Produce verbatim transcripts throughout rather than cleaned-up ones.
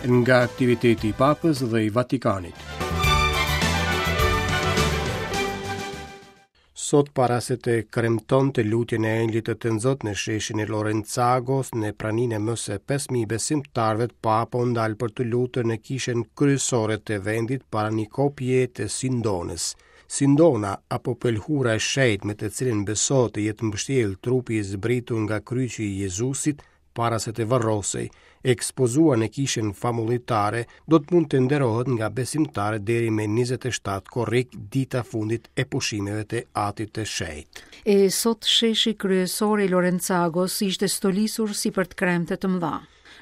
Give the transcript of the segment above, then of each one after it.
Nga aktiviteti i Papës dhe i Vatikanit. Sot para se të kremtonte lutjen e Engjëllit të Tënzot në sheshin e Lorenzagos, në praninë e më se pesë mijë besimtarëve, Papa u ndal për të lutur në kishën kryesore të vendit para një kopje të Sindonës. Sindona apo pëlhura e shenjtë me të cilën besohet të jetë mbështjellë trupi i zbritur nga kryqi i Jezusit para se të varrosej, ekspozuar në kishën famullitare, do të mund të nderohet nga besimtarët deri me njëzet e shtatë korrik, dita fundit e pushimeve të Atit të Shenjtë. E sot sheshi kryesor i Lorenzagos ishte stolisur si për të kremte të mëdha.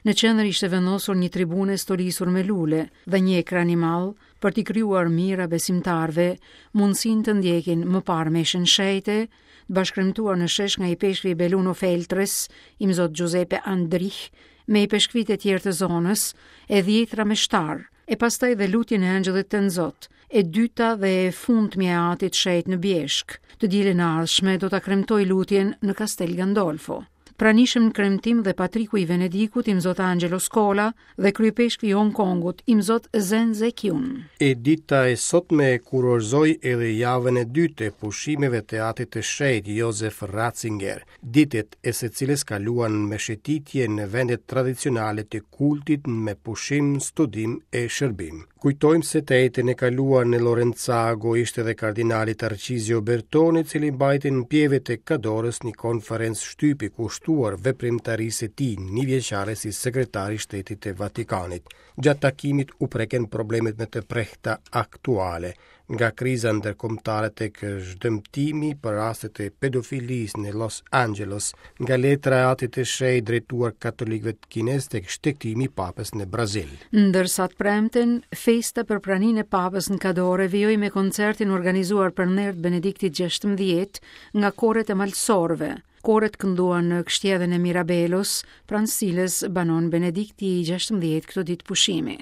Në qendër ishte vendosur një tribune stolisur me lule dhe një ekran i madh për t'i krijuar mijëra besimtarëve mundësinë të ndjekin më parë meshën shenjte, të bashkremtuar në shesh nga ipeshkvi Belluno Feltres, imzot Giuseppe Andrich, me ipeshkvit e tjerë të zonës, e dhjetra meshtar, e pastaj dhe lutjen e Engjëllit të Nzot, e dyta dhe e fundmja e Atit Shenjt në Bjeshk. Të dielën e ardhshme do ta kremtoj lutjen në Castel Gandolfo. Pranishëm në kremtim dhe patriku i Venedikut, imzot Angelo Scola, dhe kryepeshkvi i Hong Kongut, imzot Zen Zekyun. E dita e sotme kurorëzoi edhe javën e dytë të pushimeve të Atit të Shenjtë Josef Ratzinger, ditët e së cilës kaluan me shëtitje në vendet tradicionale të kultit me pushim, studim e shërbim. Kujtojmë se të enjten e kaluar në Lorenzago ishte edhe kardinali Tarcizio Bertone, i cili mbajti në pjeve të Kadorës një konferencë shtypi kushtuar veprimtarisë së tij një vjeçare si sekretar i Shtetit të Vatikanit. Gjatë takimit u preken problemet me të prehta aktuale, nga kriza ndërkombëtare tek zhdëmtimi për rastet e pedofilisë në Los Angeles, nga letra e Atit të Shenjtë drejtuar katolikëve kinez tek shtegtimi i Papës në Brazil. Ndërsa të premten, festa për praninë e Papës në Kadore vijoi me koncertin organizuar për nder të Benediktit gjashtëmbëdhjetë nga koret e malsorëve. Koret kënduan në kështjellën e Mirabelos, pranë cilës banon Benedikti i gjashtëmbëdhjetë këto ditë pushimi.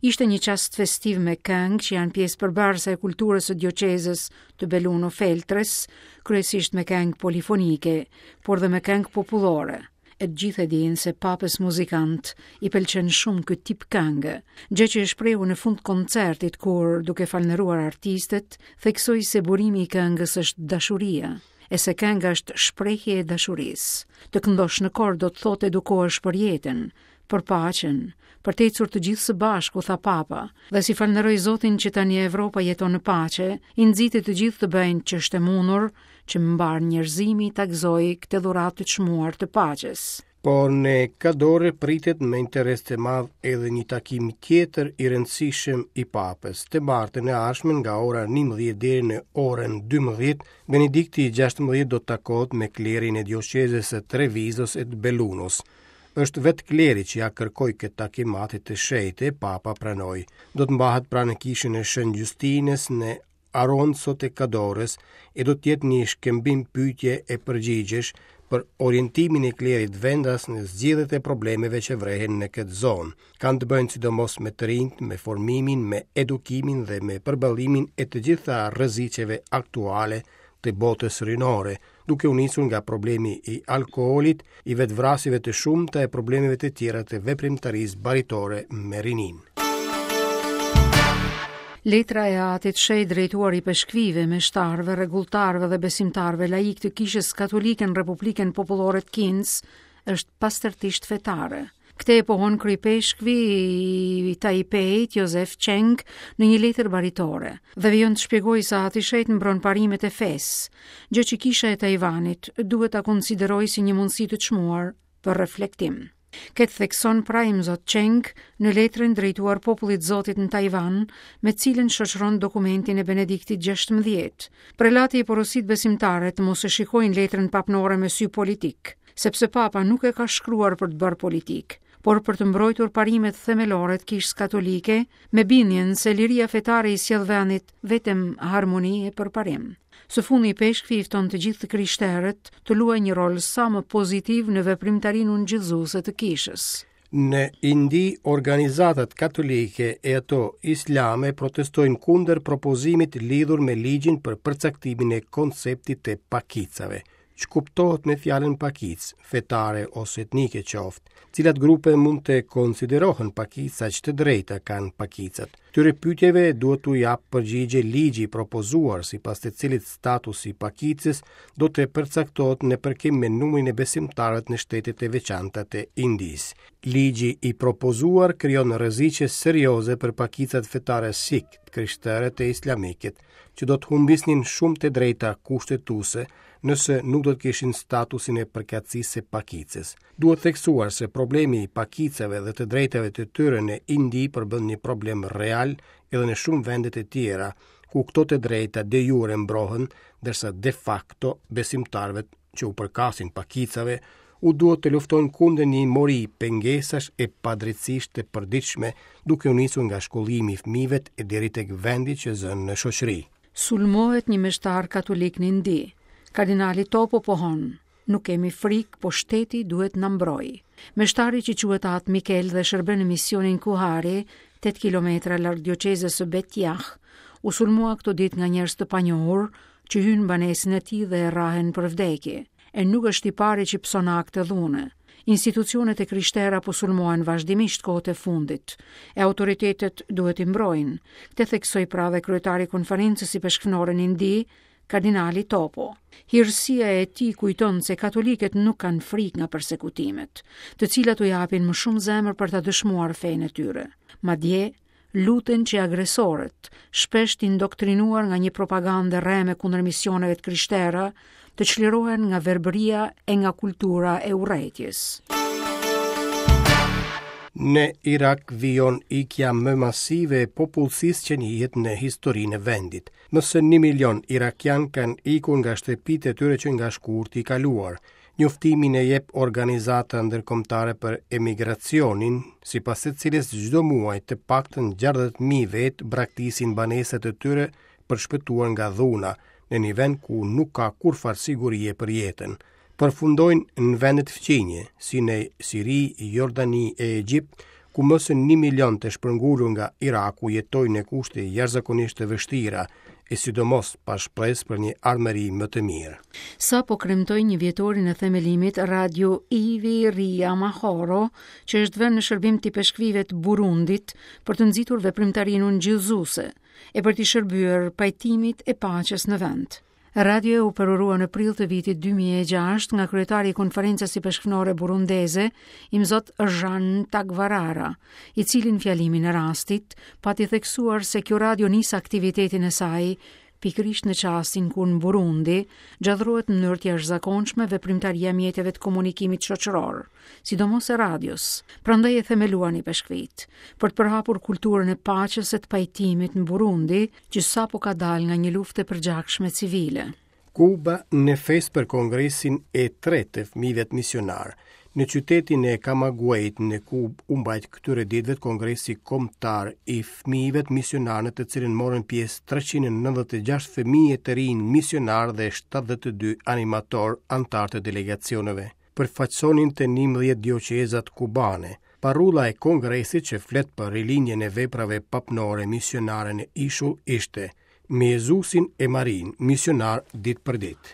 Ishte një çast festiv me këngë që janë pjesë përbërëse e kulturës së dioqezës të Belluno Feltres, kryesisht me këngë polifonike, por dhe me këngë popullore. E të gjithë e dinë se papës muzikant i pëlqen shumë ky tip këngë, gjë që e shprehu në fund koncertit kur, duke falënderuar artistët, theksoi se burimi i këngës është dashuria, e se kënga është shprehje e dashurisë. Të këndosh në kor do të thotë edukohesh për jetën, për paqen, për të ecur të gjithë së bashku, tha Papa, dhe si falënderoi Zotin që tani Evropa jeton në paqe, i nxiti të gjithë të bëjnë që është e mundur që mbar njerëzimi ta gëzojë këtë dhuratë të çmuar të paqes. Por në Kadore pritet me interes të madh edhe një takim tjetër i rëndësishëm i Papës. Të martën e ardhshme nga ora njëmbëdhjetë deri në orën dymbëdhjetë, Benedikti i gjashtëmbëdhjetë do të takohet me klerin e dioqezës së Trevisos e të Bellunos. Është vetë kleri që ja kërkoi këtë takim Atit të Shenjtë, Papa pranoi. Do të mbahet pranë kishën e Shën Justinës në Aronzo të Kadores e do të jetë një shkëmbim pyetje e përgjigjesh për orientimin e klerit vendas në zgjidhjet e problemeve që vrehen në këtë zonë. Kanë të bëjnë sidomos me të rinjt, me formimin, me edukimin dhe me përballimin e të gjitha rreziqeve aktuale të botës rinore, duke u nisur nga problemi i alkoolit, i vetvrasjeve të shumta e problemeve të tjera të veprimtarisë baritore me rinin. Letra e Atit Shenjt drejtuar i peshkvive, meshtarëve, rregulltarëve dhe besimtarëve laik të Kishës Katolike në Republikën Popullore të Kinës është pastërtisht fetare. Këtë e pohon kryepeshkvi i Taipeit, Josef Cheng, në një letër baritore, dhe vijon të shpjegojë se Ati Shenjt mbron parimet e fesë, gjë që Kisha e Tajvanit duhet ta konsiderojë si një mundësi të çmuar për reflektim. Këtë thekson pra imzot Cheng në letrën drejtuar popullit Zotit në Tajvan, me cilën shoqëron dokumentin e Benediktit gjashtëmbëdhjetë. Prelati i porosit besimtarët mos e shikojnë letrën papnore me sy politik, sepse Papa nuk e ka shkruar për të bërë politikë, por për të mbrojtur parimet themelore të Kishës Katolike, me bindjen se liria fetare i sjell vendit vetëm harmoni e përparim. Së fundi, peshkvi i fton të gjithë të krishterët të luajnë një rol sa më pozitiv në veprimtarinë ungjillëzuese të kishës. Në Indi, organizatat katolike e ato islame protestojnë kundër propozimit lidhur me ligjin për përcaktimin e konceptit të pakicave. Ç'kuptohet me fjalën pakicë, fetare ose etnike qoftë? Cilat grupe mund të konsiderohen pakica, ç'të drejta kanë pakicat? Këtyre pyetjeve duhet t'u japë përgjigje ligji i propozuar, sipas të cilit statusi i pakicës do të përcaktohet në përkim me numrin e besimtarëve në shtetet e veçanta të Indisë. Ligji i propozuar krijon rreziqe serioze për pakicat fetare sikh, të krishterët e islamikët, që do të humbisnin shumë të drejta kushtetuese nëse nuk do të kishin statusin e përkatësisë së pakicës. Duhet theksuar se problemi i pakicave dhe të drejtave të tyre në Indi përbën një problem real edhe në shumë vende të tjera, ku këto të drejta de jure mbrohen, ndërsa de facto besimtarëve që u përkasin pakicave u duhet të luftojnë kundër një mori pengesash e padrejtësish të përditshme, duke u nisur nga shkollimi i fëmijëve e deri tek vendi që zënë në shoqëri. Sulmohet një meshtar katolik në Indi. Kardinali Topo pohon: "Nuk kemi frikë, po shteti duhet na mbrojë." Meshtari që quhet At Mikel dhe shërben në misionin Kuhari, tetë kilometra larg dioqezës së Betjah, u sulmua këto ditë nga njerëz të panjohur që hynë në banesën e tij dhe e rrahen për vdekje. E nuk është i pari që pëson akte dhune. Institucionet e krishtera po sulmohen vazhdimisht kohët e fundit, e autoritetet duhet i mbrojnë. Këtë theksoi pra dhe kryetari i konferencës ipeshkvnore në Indi, Kardinali Topo. Hirësia e tij kujton se katolikët nuk kanë frikë nga persekutimet, të cilat u japin më shumë zemër për ta dëshmuar fenë e tyre. Madje, luten që agresorët, shpesh të indoktrinuar nga një propagandë rreme kundër misioneve të krishtera, të çlirohen nga verbëria e nga kultura e urrejtjes. Në Irak vijon ikja më masive e popullsisë që njihet në historinë e vendit. Më se një milion irakian kanë ikur nga shtëpitë e tyre që nga shkurti i kaluar. Njoftimin e jep Organizata Ndërkombëtare për Emigracionin, sipas së cilës çdo muaj të paktën gjashtëdhjetë mijë vetë braktisin banesat e tyre për shpëtuar nga dhuna, në një vend ku nuk ka kurrfarë sigurie për jetën. Përfundojnë në vendet fqinje, si në Siri, Jordani e Egjipt, ku më se një milion të shpërngulur nga Iraku jetojnë në kushte jashtëzakonisht të vështira, e sidomos pa shpresë për një ardhmëri më të mirë. Sa po kremtoi një vjetorin e themelimit Radio Ivi Ria Mahoro, që është vënë në shërbim të ipeshkvive të Burundit për të nxitur veprimtarinë ungjillëzuese e për t'i shërbyer pajtimit e paqes në vend. Radio u përurua në prill të vitit dy mijë e gjashtë nga kryetari i konferencës ipeshkvnore burundeze, Imzot Jean Tagwarara, i cili në fjalimin e rastit pati theksuar se kjo radio nis aktivitetin e saj pikërisht në çastin kur në Burundi gjallërohet në mënyrë të jashtëzakonshme veprimtaria e mjeteve të komunikimit shoqëror, sidomos e radios. Prandaj e themeluan ipeshkvit për të përhapur kulturën e paqes e të pajtimit në Burundi, që sapo ka dalë nga një luftë e përgjakshme civile. Kuba në festë për kongresin e tretë të fëmijëve misionar. Në qytetin e Camagüeyt në Kubë u mbajt këtyre ditëve kongresi kombëtar i fëmijëve misionar, në të cilin morën pjesë treqind e nëntëdhjetë e gjashtë fëmijë të rinj misionar dhe shtatëdhjetë e dy animator antar të delegacioneve. Përfaqësonin të njëmbëdhjetë dioqezat kubane. Parulla e kongresit që flet për rilindjen e veprave papnore misionare në ishull ishte Me Jezusin e Marin, misionar ditë për ditë.